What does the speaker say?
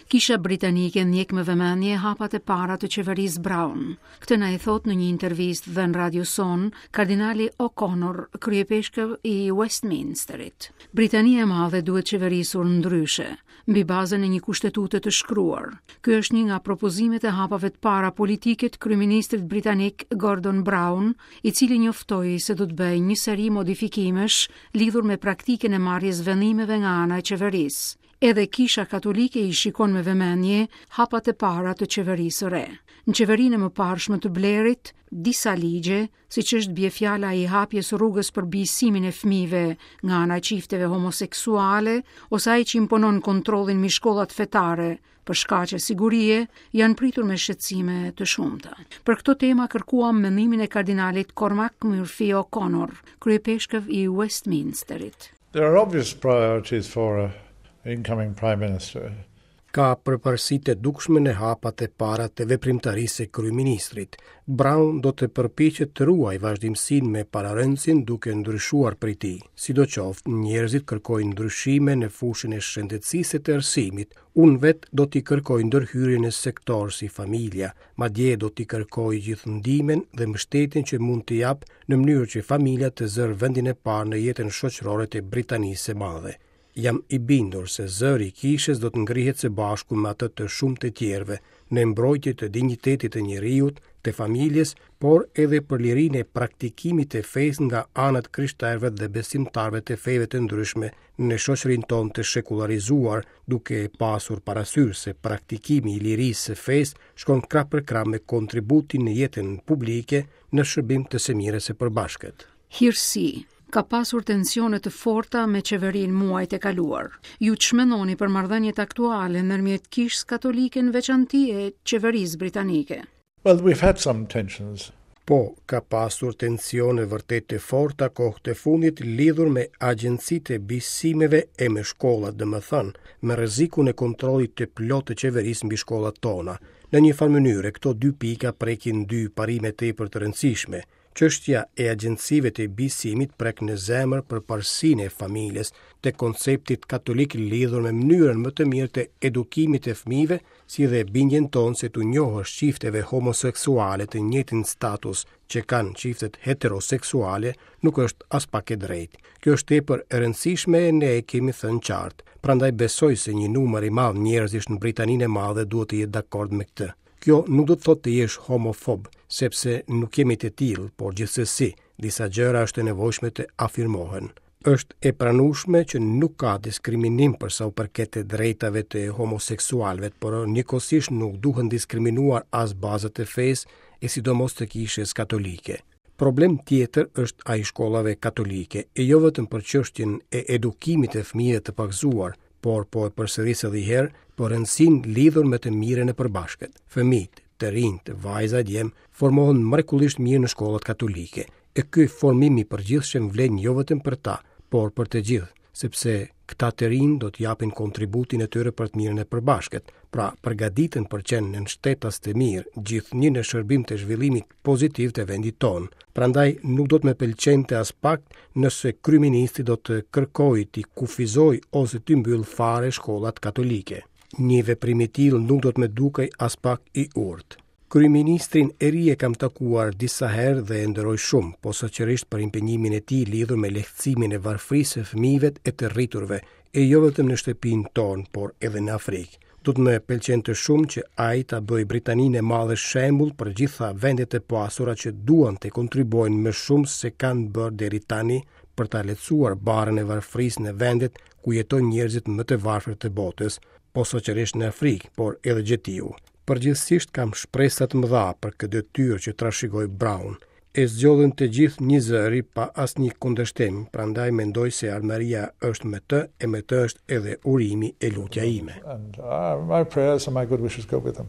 Kisha britanike ndjek me vëmendje hapat e para të qeverisë Brown. Këtë na e thotë në një intervistë dhënë radios sonë kardinali O'Connor, kryeipeshkëv i Westminsterit. Britania e Madhe duhet qeverisur ndryshe, mbi bazën e një kushtetute të shkruar. Ky është një nga propozimet e hapave të para politike të kryeministrit britanik Gordon Brown, i cili njoftoi se do të bëjë një seri modifikimesh lidhur me praktikën e marrjes vendimeve nga ana e qeverisë. Edhe Kisha Katolike i shikon me vëmendje hapat e para të qeverisë së re. Në qeverinë e mëparshme të Blairit, disa ligje, siç është bie fjala i hapjes rrugës për bijësimin e fëmijëve nga ana e çifteve homoseksuale ose ai që imponon kontrollin mbi shkollat fetare për shkaqe sigurie, janë pritur me shqetësime të shumta. Për këto tema kërkuam mendimin e kardinalit Cormac Murphy O'Connor, kryeipeshkëv i Westminsterit. There are obvious priorities for a incoming prime minister. Ka përparësi të dukshme në hapat e para të veprimtarisë së kryeministrit. Brown do të përpiqet të ruajë vazhdimësinë me pararendësin duke ndryshuar prej tij. Sidoqoftë, njerëzit kërkojnë ndryshime në fushën e shëndetësisë e të arsimit. Unë vetë do t'i kërkoj ndërhyrje në sektorë si familja, madje do t'i kërkoj gjithë ndihmën dhe mbështetjen që mund të jap në mënyrë që familja të zërë vendin e parë në jetën shoqërore të Britanisë së Madhe. Jam i bindur se zëri i kishës do të ngrihet së bashku me atë të shumë të tjerëve në mbrojtje të dinjitetit të njeriut, të familjes, por edhe për lirinë e praktikimit të fesë nga ana e të krishterëve dhe besimtarëve të feve të ndryshme në shoqërinë tonë të shekullarizuar, duke pasur parasysh se praktikimi i lirisë së fesë shkon krah për krah me kontributin në jetën publike në shërbim të së mirës së përbashkët. Hirësi, ka pasur tensione të forta me qeverinë muajt e kaluar. Ju ç'mendoni për marrëdhëniet aktuale ndërmjet Kishës Katolike në veçanti e qeverisë britanike? Well, we've had some tensions. Po, ka pasur tensione vërtet të forta kohët e fundit lidhur me agjencitë e bijësimeve e me shkollat, domethënë, me rrezikun e kontrollit të plotë të qeverisë mbi shkollat tona. Në një farë mënyre, këto dy pika prekin dy parime tepër të rëndësishme. Çështja e agjencive të bijësimit prek në zemër përparësinë e familjes, të konceptit katolik lidhur me mënyrën më të mirë të edukimit të fëmijëve, si dhe bindjen tonë se t'u njohësh çifteve homoseksuale të njëjtin status që kanë çiftet heteroseksuale nuk është aspak e drejtë. Kjo është tepër e rëndësishme e ne e kemi thënë qartë. Prandaj besoj se një numër i madh njerëzish në Britaninë e Madhe duhet të jetë dakord me këtë. Kjo nuk do të thotë të jesh homofob, sepse nuk jemi të tillë, por gjithsesi, disa gjëra është e nevojshme të afirmohen. Është e pranueshme që nuk ka diskriminim për sa u përket të drejtave të homoseksualëve, por njëkohësisht nuk duhen diskriminuar as bazat e fesë e sidomos të kishës katolike. Problem tjetër është ai i shkollave katolike, e jo vetëm për çështjen e edukimit të fëmijëve të pagëzuar, por po e përsëris edhe një herë për rëndësinë lidhur me të mirën e përbashkët. Fëmijët, të rinjtë, vajza e djem, formohen mrekullisht mirë në shkollat katolike. E ky formim i përgjithshëm vlen jo vetëm për ta, por për të gjithë, sepse këta të rinj do të japin kontributin e tyre për të mirën e përbashkët, pra përgatiten për qenë nënshtetas të mirë, gjithnjë në shërbim të zhvillimit pozitiv të vendit tonë. Prandaj nuk do të më pëlqente aspak nëse kryeministri do të kërkojë t'i kufizojë ose t'i mbyllë fare shkollat katolike. Një veprim i tillë nuk do të më dukej aspak i urtë. Kryeministrin e ri e kam takuar disa herë dhe e nderoj shumë, posaçërisht për impenjimin e tij lidhur me lehtësimin e varfërisë së fëmijëve e të rriturve, e jo vetëm në shtëpinë tonë, por edhe në Afrikë. Do të më pëlqente shumë që ai ta bëjë Britaninë e Madhe shembull për gjitha vendet e pasura që duan të kontribuojnë më shumë se kanë bërë deri tani për ta lehtësuar barrën e varfërisë në vendet ku jetojnë njerëzit më të varfër të botës, posaçërisht në Afrikë, por edhe gjetiu. Përgjithësisht kam shpresa të mëdha për këtë detyrë që trashëgoi Brown. E zgjodhën të gjithë njëzëri pa asnjë kundërshtim, prandaj mendoj se ardhmëria është me të e me të është edhe urimi e lutja ime. And, uh, my prayers and my good wishes go with him.